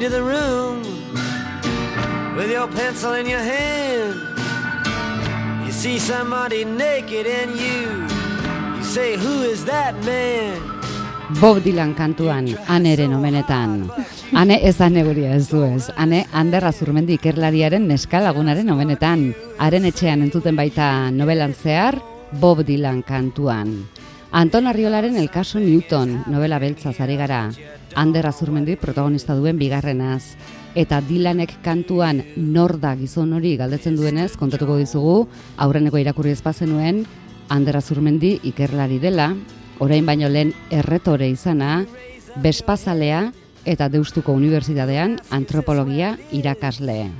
into the room with your pencil in your hand. You see somebody naked and you say, who is that man? Bob Dylan kantuan, Aneren omenetan. Ane ez ane guria ez du ez. Ane Ander Azurmendi ikerlariaren neska lagunaren omenetan. Haren etxean entzuten baita novelan zehar, Bob Dylan kantuan. Anton Arriolaren El caso Newton, novela beltzaz ari gara. Ander Azurmendi protagonista duen bigarrenaz. Eta Dylanek kantuan nor da gizon hori galdetzen duenez, kontatuko dizugu, aurreneko irakurri ez bazenuen, Ander Azurmendi ikerlari dela, orain baino lehen erretore izana, Bespazalea eta Deustuko Unibertsitatean antropologia irakasle.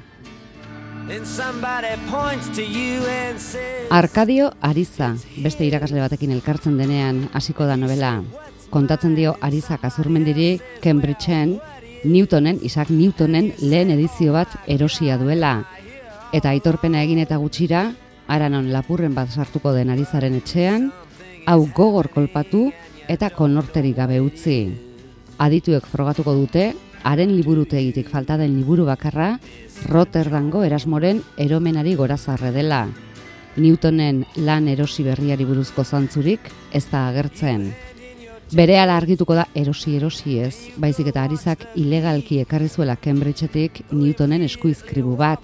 Arkadio Ariza, beste irakasle batekin elkartzen denean hasiko da novela. Kontatzen dio Arizak Azurmendiri Cambridgeen Isaac Newtonen lehen edizio bat erosia duela. Eta aitorpena egin eta gutxira, haranon lapurren bat sartuko den Arizaren etxean, hau gogor kolpatu eta konorterik gabe utzi. Adituek frogatuko dute, haren liburutegitik falta den liburu bakarra, Rotterdamgo Erasmoren eromenari gorazarre dela. Newtonen lan erosi berriari buruzko zantzurik ez da agertzen. Berehala argituko da erosi ez, baizik eta Arizak ilegalki ekarri zuela Cambridgeetik Newtonen eskuizkribu bat,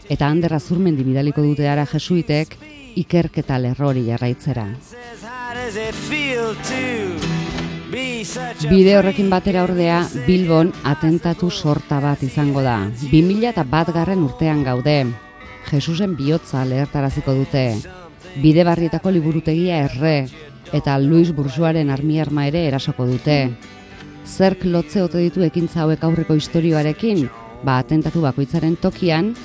eta Ander Azurmendi bidaliko dute ara jesuitek ikerketa lerrori jarraitzera. Bide horrekin batera ordea, Bilbon atentatu sorta bat izango da. 2001 urtean gaude. Jesusen bihotza lehertaraziko dute. Bidebarrietako liburutegia erre, eta Louis Bourgeoisen arma ere erasoko dute. Zerk lotze ote ditu ekintza hauek aurreko istorioarekin? Atentatu bakoitzaren tokian,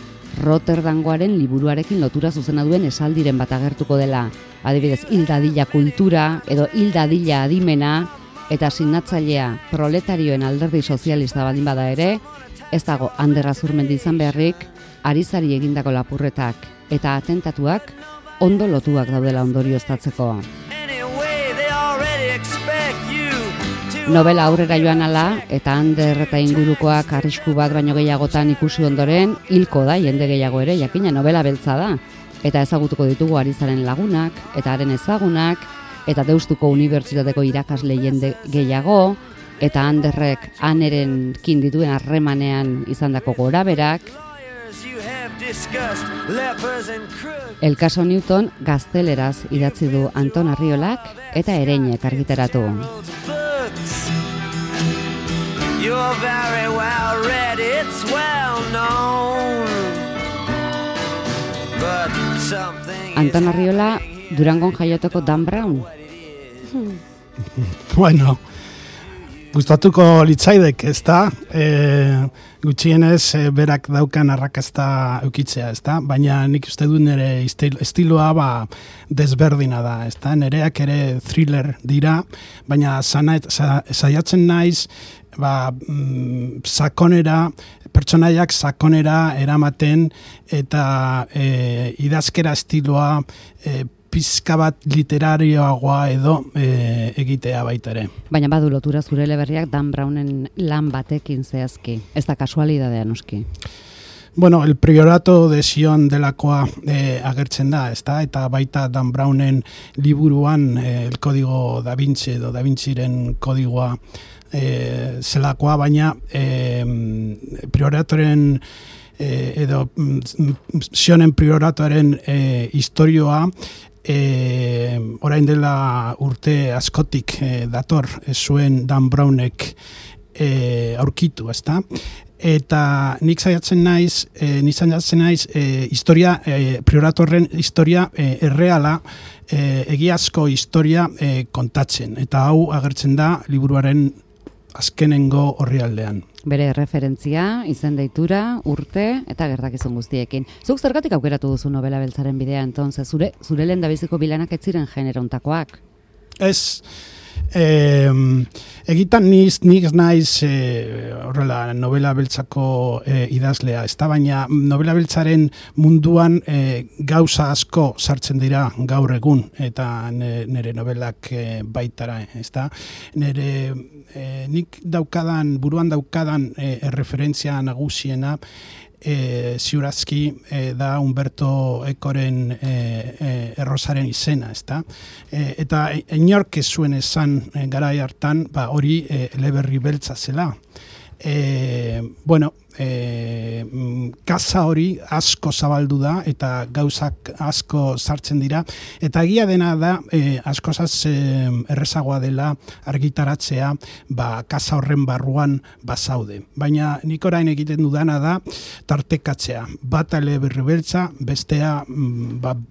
Rotterdamgoaren liburuarekin lotura zuzena duen esaldiren bat agertuko dela. Adibidez, hil dadila kultura edo hil dadila adimena, eta sinatzailea proletarioen alderdi sozialista baldin bada ere, ez dago Ander Azurmendi izan beharrik, Arizari egindako lapurretak eta atentatuak ondo lotuak daudela ondorioztatzeko. Novela aurrera joan ala, eta Ander eta ingurukoak arrisku bat baino gehiagotan ikusi ondoren, hilko da jende gehiago ere, jakina novela beltza da. Eta ezagutuko ditugu Arizaren lagunak, eta haren ezagunak, eta Deustuko Unibertsitateko irakasle jende gehiago, eta Anderrek Anerenkin dituen harremanean izandako goraberak. El caso Newton gazteleraz idatzi du Anton Arriolak eta Ereinek argitaratu. You're very well read, it's well known. But something Anton Arriola Durangon jaiotako Dan Brown. Bueno, gustatuko litzaidek, ezta? Gutxienez berak daukan arrakasta eukitzea, ezta? Baina nik uste dut nire estiloa desberdina da, ezta? Nereak ere thriller dira, baina saiatzen naiz sakonera, pertsonaiak sakonera eramaten eta idazkera estiloa pizka bat literarioagoa edo egitea baita ere. Baina badu lotura zure eleberriak Dan Brownen lan batekin zehazki. Ez da kasualidadea noski. Bueno, el priorato de Sion delakoa agertzen da, ezta? Eta baita Dan Brownen liburuan el código da Vinci edo Da Vinciren kodigoa zelakoa, baina prioratoren edo Sionen prioratoren historioa orain dela urte askotik dator zuen Dan Brownek aurkitu, ezta? Eta nik saiatzen naiz historia, prioratorren historia erreala, egiazko historia kontatzen. Eta hau agertzen da liburuaren azkenengo orrialdean. Bere referentzia, izen deitura, urte eta gertakizun guztiekin. Zuk zergatik aukeratu duzu novela beltzaren bidea, entonces, zure lehendabiziko bilanak ez ziren generontakoak? Ez, Egitan nik naiz horrela novela beltzako idazlea, ez da, baina novela beltzaren munduan gauza asko sartzen dira gaur egun, eta nire novelak baitara, ez da. Nik buruan daukadan referentzia nagusiena ziurazki da Humberto Ecoren errosaren izena, ezta? Eta inork ez zuen esan garai hartan, hori eleberri beltza zela. Kaza hori asko zabaldu da eta gauzak asko sartzen dira, eta egia dena da askozaz errezagoa dela argitaratzea kaza horren barruan bazaude. Baina nik orain egiten dudana da tartekatzea, bata eleberri beltza, bestea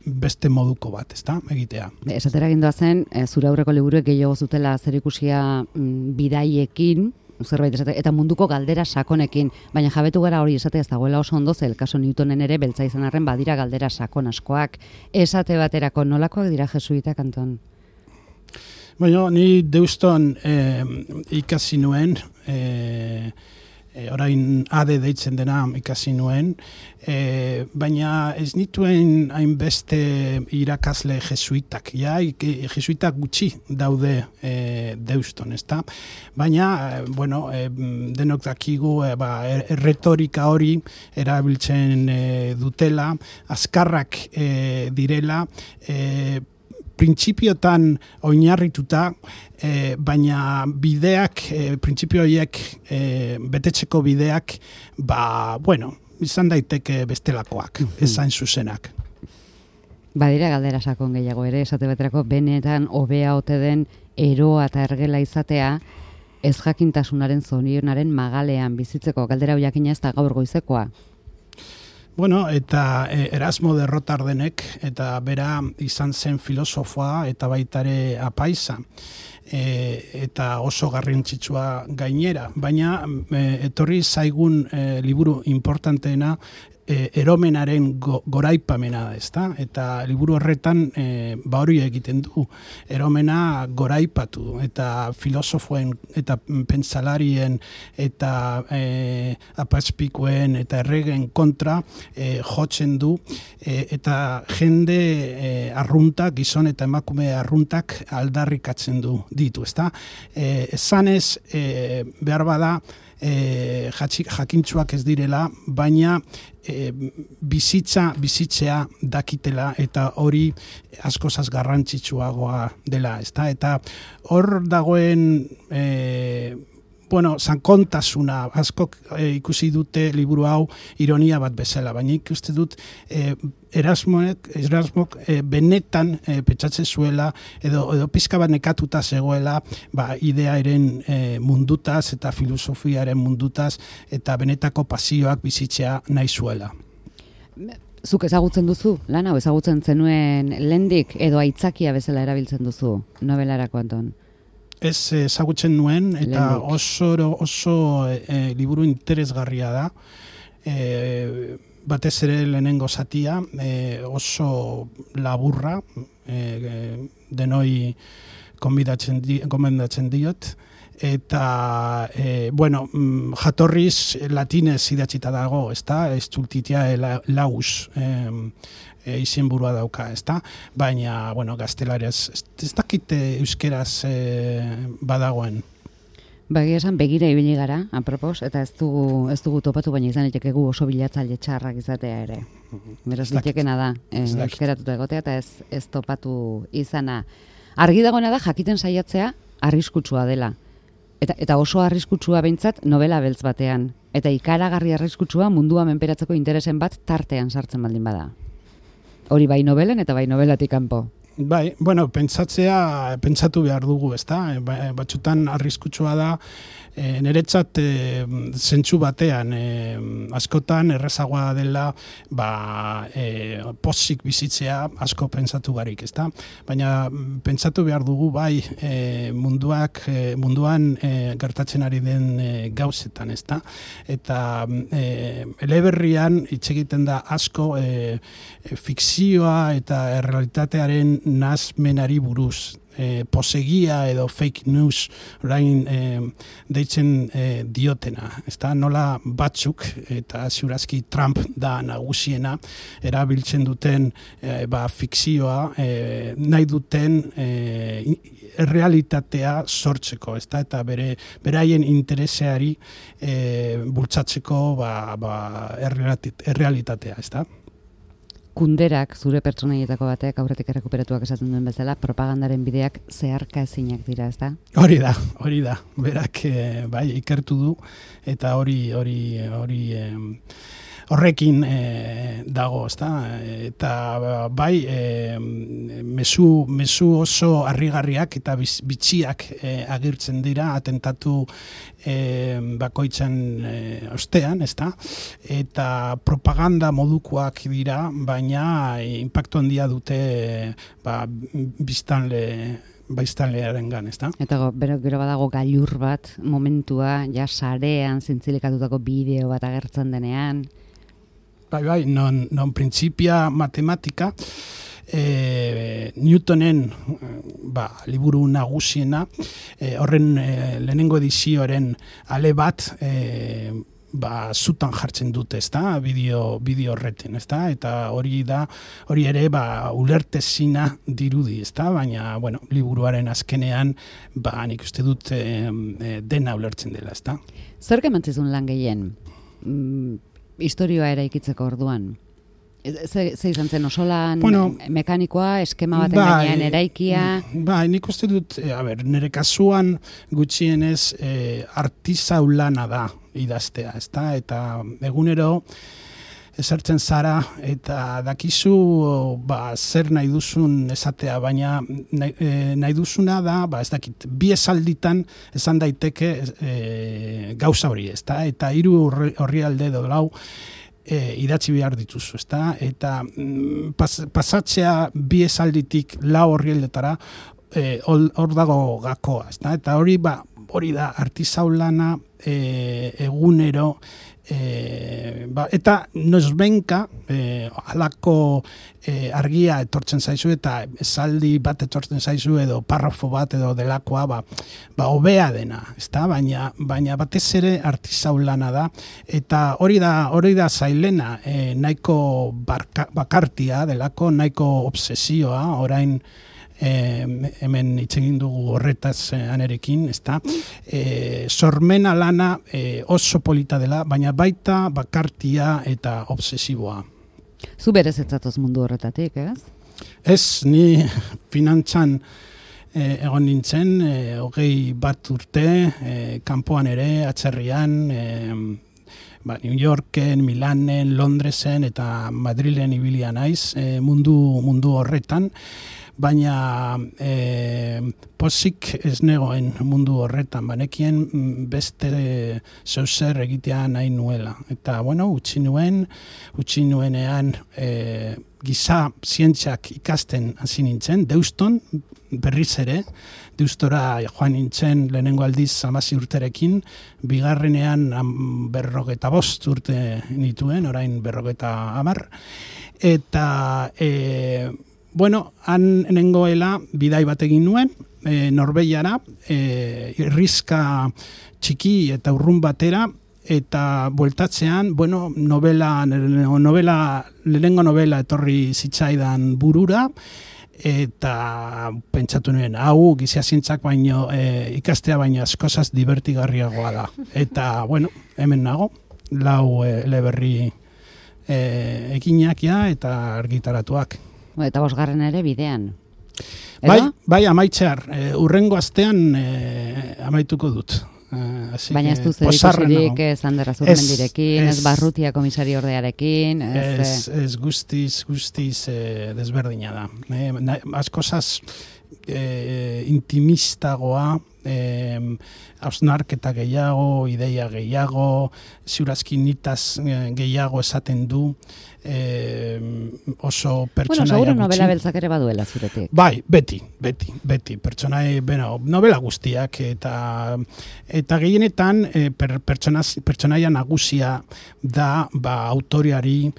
beste moduko bat, ezta, egitea. Esatera gindoa zen, zure aurreko liburuek gehiago zutela zerikusia bidaiekin, zerbait esate, eta munduko galdera sakonekin, baina jabetu gara hori esate ez dagoela oso ondo, zel kaso Newtonen ere beltza izan arren badira galdera sakon askoak. Esate baterako nolakoak dira jesuitak, Anton? Bueno, ni Deuston ikasi nuen, orain ade deitzen dena ikasi nuen, baina ez nituen hainbeste irakasle jesuitak. Jesuitak gutxi daude Deuston, ezta? Baina, denok dakigu erretorika hori erabiltzen dutela, azkarrak direla, printzipiotan oinarrituta, baina bideak, printzipio horiek betetzeko bideak, izan daiteke bestelakoak, ez zain zuzenak. Badira galdera sakon gehiago ere, esate baterako benetan hobea ote den eroa eta ergela izatea, ez jakintasunaren zorionaren magalean bizitzeko, galdera hoiakina ez da gaur goizekoa. Eta Erasmo de Rotardenek, eta bera izan zen filosofoa eta baitare apaiza, eta oso garrantzitsua gainera, baina etorri zaigun liburu importanteena eromenaren goraipamena, ezta? Eta liburu horretan hori egiten du, eromena goraipatu, eta filosofoen eta pentsalarien eta apazpikuen eta erregen kontra jotzen du, eta jende arruntak, gizon eta emakume arruntak aldarrikatzen ditu, ezta? Esanez, behar bada, jakintsuak ez direla, baina bizitzea dakitela, eta hori askozaz garrantzitsuagoa dela, ezta? Eta hor dagoen zankontasuna, askok ikusi dute liburu hau ironia bat bezala, baina ikuste dut Erasmok benetan pentsatzen zuela, edo pizka bat nekatuta zegoela, idearen mundutaz eta filosofiaren mundutaz, eta benetako pasioak bizitzea nahi zuela. Zuk ezagutzen duzu, lan hau ezagutzen zenuen lehendik, edo aitzakia bezala erabiltzen duzu novelarako, Anton? Ez ezagutzen nuen, eta oso liburu interesgarria da. Batez ere lehenengo zatia, oso laburra, denoi gomendatzen diot, eta, jatorriz latinez idatzita dago, ezta? Estultitia laus, izenburua dauka, ezta? Baina, gaztelariaz, ez dakit euskeraz badagoen. Bagia esan begira ibili gara, apropos, eta ez dugu topatu, baina izan itekegu oso bilatzaile txarrak izatea ere. Beraz, ditekena da, euskeratuta egotea, eta ez topatu izana. Argi dagoena da, jakiten saiatzea, arriskutsua dela. Eta oso arriskutsua behintzat novela beltz batean. Eta ikaragarri arriskutsua mundua menperatzeko interesen bat tartean sartzen baldin bada. Hori bai novelen eta bai novelatik kanpo. Bai, pentsatu behar dugu, ezta? Batzutan arriskutsua da, niretzat zentsu batean, askotan errezagoa dela pozik bizitzea asko pentsatu barik, ezta? Baina pentsatu behar dugu bai munduan gertatzen ari den gauzetan, ezta? Eta eleberrian hitz egiten da asko fikzioa eta errealitatearen nazmenari buruz. posegia edo fake news orain deitzen diotena. Ezta nola batzuk, eta ziurazki Trump da nagusiena, erabiltzen duten fikzioa nahi duten errealitatea sortzeko, ezta? Eta beraien intereseari bultzatzeko errealitatea, ezta? Kunderak, zure pertsonaietako batek, aurretik errekuperatuak esaten duen bezala, propagandaren bideak zeharka ezinak dira, ezta? Hori da. Berak ikertu du, eta horrekin dago, ezta? Eta mezu oso harrigarriak eta bitxiak agirtzen dira atentatu bakoitzan ostean, ezta? Eta propaganda modukoak dira, baina inpaktu handia dute biztanlearengan, ezta? Eta gero badago gailur bat, momentua, ja sarean zintzilikatutako bideo bat agertzen denean. Bai, non printzipia matematika, Newtonen liburu nagusiena, horren lehenengo edizioaren ale bat zutan jartzen dute, ezta? Bideo horreten, ezta? Eta hori ere ulertezina dirudi, ezta? Baina, liburuaren azkenean nik uste dut dena ulertzen dela, ezta? Zer kemantzizun lan gehien? Historioa eraikitzeko orduan? Ze izan zen osolan mekanikoa, eskema baten gainean eraikia? Nik uste dut, nire kasuan gutxienez artisau lana da idaztea, ezta? Eta egunero esertzen zara eta dakizu zer nahi duzun esatea, baina nahi duzuna da, ez dakit, 2 esalditan esan daiteke gauza hori, ezta? Eta 3 orrialde edo 4 idatzi behar dituzu, ezta? Eta pasatzea 2 esalditik 4 orrialdetara hor dago gakoa, ezta? Eta hori da artisau lana egunero, eta nozbenka halako argia etortzen zaizu eta esaldi bat etortzen zaizu edo parrafo bat edo delakoa hobea dena, ezta? Baina batez ere artisau lana da, eta hori da zailena, nahiko bakartia delako, nahiko obsesioa, orain hemen hitz egin dugu horretaz anerekin, ezta? Sormena lana oso polita dela, baina baita bakartia eta obsesiboa. Zu berez etzatoz mundu horretatik, ez? Ez, ni finantzan egon nintzen, 21 urte, kanpoan ere, atzerrian, New Yorken, Milanen, Londresen eta Madrilen ibilia naiz, mundu horretan, baina pozik ez negoen mundu horretan, banekien beste zeuzer egitea nahi nuela. Eta, utzi nuenean giza zientziak ikasten hasi nintzen, Deuston, berriz ere, Deustora joan nintzen lehenengo aldiz 16 urterekin, bigarrenean 45 urte nituen, orain 50, eta han nengoela bidai bat egin nuen, Norbeiara, irrizka txiki eta urrun batera, eta bueltatzean, lehenengo novela etorri zitzaidan burura, eta pentsatu nuen, hau gizia zientzak baino ikastea baino askozaz divertigarriagoa da. Eta, hemen nago, 4 eleberri ekinak eta argitaratuak. Eta 5. ere bidean. Bai, amaitzear. Urrengo astean amaituko dut. Baina ez duz edikusirik Ander Azurmendirekin, ez Barrutia komisari ordearekin. Ez guztiz desberdina da. Askozaz intimistagoa, hausnarketa gehiago, ideia gehiago, ziurazki nitaz gehiago esaten du, oso pertsonaia gutxi. Seguro novela beltzak ere baduela zuretik. Bai, beti. Novela guztiak eta gehienetan pertsonaia nagusia da autoriari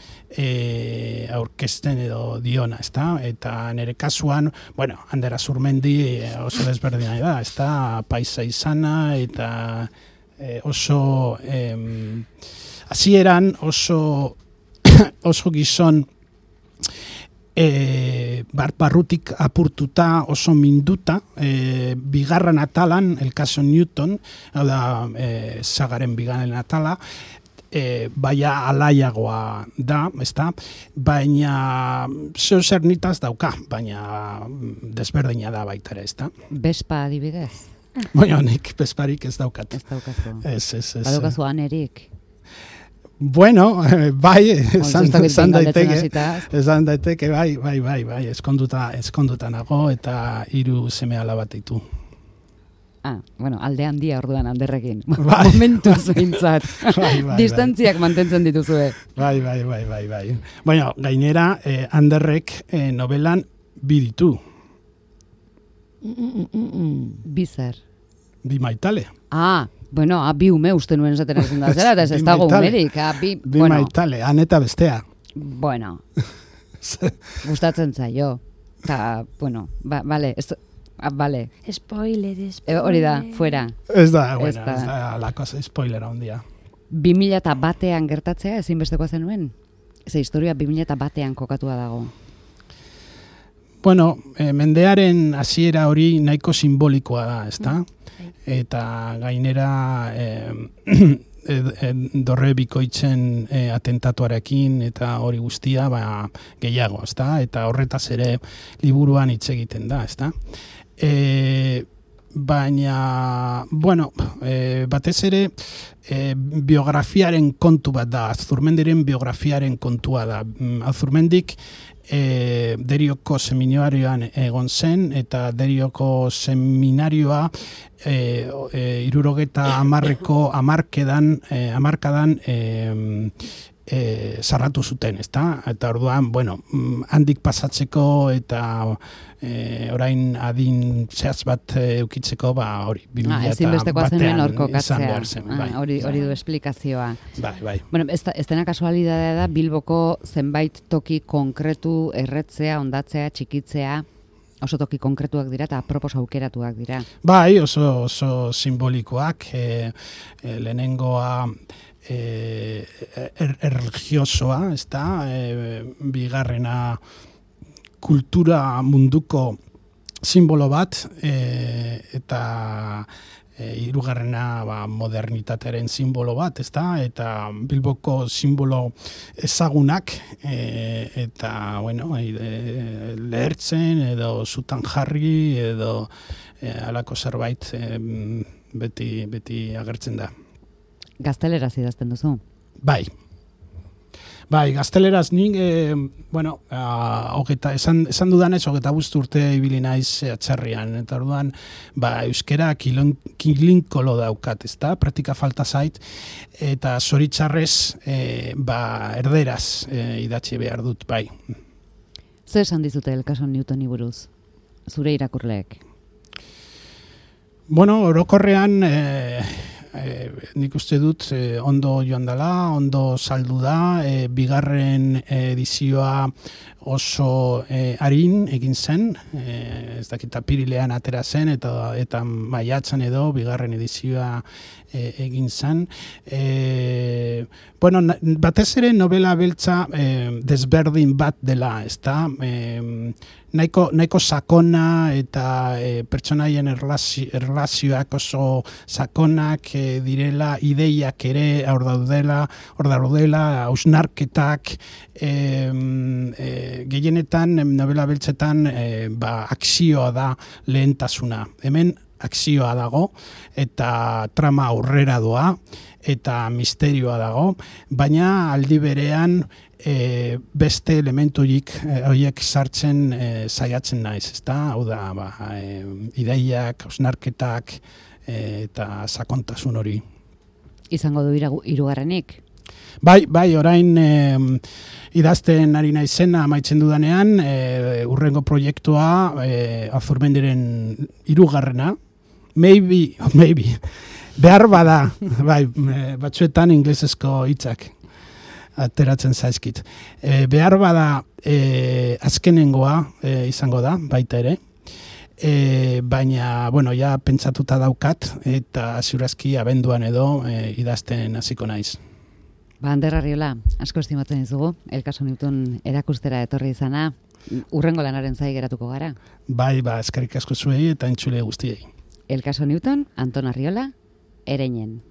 aurkezten edo diona, ezta? Eta nire kasuan, Ander Azurmendi oso desberdina da, ezta? Paisa izana eta oso hasieran oso gizon barrutik apurtuta, oso minduta, bigarren atalan, el caso Newton, hau da, sagaren bigarren atala, baina alaiagoa da, ezta? Baina zer nitaz dauka, baina desberdina da baita ere, ezta? Bespa adibidez? Nik besparik ez daukat. Ez daukazu. Ez. Badaukazu anerik. Bai, esan daiteke, bai, eskonduta nago eta 3 seme-alaba ditu. Alde handia orduan Anderrekin. Momentuz behintzat. Distantziak mantentzen dituzue. Bai. Gainera, Anderrek novelan 2 ditu. Bizer. 2 maitale. Bi ume uste nuen esaten ezin da zera, eta ez dago umerik. Bi maitale, han eta bestea. Gustatzen zaio. Eta, vale. Spoiler. Hori da, fuera. Ez da la cosa spoilera ondia. 2001an gertatzea ezinbesteko zenuen? Historia 2001an kokatua dago. Mendearen hasiera hori nahiko simbolikoa da, ezta? Eta gainera dorre bikoitzen atentatuarekin eta hori guztia gehiago, ezta? Eta horretaz ere liburuan hitz egiten da, ezta? Baina, batez ere biografiaren kontu bat da, Azurmendiren biografiaren kontua da. Azurmendik Derioko seminarioan egon zen, eta Derioko seminarioa 70 hamarkadan sarratu zuten, ezta? Eta orduan, handik pasatzeko eta orain adin zehaz bat eukitzeko, hori, 2001 izan behar zen. Hori du esplikazioa. Bai. Ez dena kasualidadea da, Bilboko zenbait toki konkretu erretzea, ondatzea, txikitzea, oso toki konkretuak dira eta apropos aukeratuak dira. Bai, oso simbolikoak, lehenengoa religiosoa, ezta? Bigarrena kultura munduko simbolo bat, eta hirugarrena modernitatearen simbolo bat, ezta? Eta Bilboko simbolo ezagunak, eta lehertzen edo zutan jarri edo halako zerbait beti agertzen da. Gazteleraz idazten duzu? Bai, gazteleraz nik, esan dudanez, 25 urte ibili naiz atzerrian, eta orduan, euskera kilinkolo daukat, ezta? Praktika falta zait, eta zoritxarrez, erderaz idatzi behar dut, bai. Zer esan dizute el caso Newtoni buruz, zure irakurleek? Orokorrean, nik uste dut ondo joan dela, ondo saldu da, bigarren edizioa oso arin egin zen, ez dakit apirilean atera zen, eta maiatzan edo bigarren edizioa egin zen. Batez ere novela beltza desberdin bat dela, ezta? Nahiko sakona eta pertsonaien erlazioak oso sakonak direla, ideiak ere hor daudela, hausnarketak, gehienetan novela beltzetan akzioa da lehentasuna. Hemen akzioa dago, eta trama aurrera doa, eta misterioa dago, baina aldi berean beste elementu horiek sartzen saiatzen naiz, ezta? Hau da, ideiak, osnarketak eta sakontasun hori. Izango du hirugarrenik? Bai, orain idazten ari naizena amaitzen dudanean, urrengo proiektua Azurmendiren 3. Maybe, behar bada, bai, batzuetan inglesezko hitzak ateratzen zaizkit. Behar bada azkenengoa izango da, baita ere, baina, ja pentsatuta daukat, eta ziurazki abenduan edo idazten hasiko naiz. Ander Arriola, asko estimatzen dizugu, El caso Newton erakustera etorri izana, urrengo lanaren zai geratuko gara. Bai, eskerrik asko zuei eta entzule guztiei. El caso Newton, Anton Arriola, Ereñen.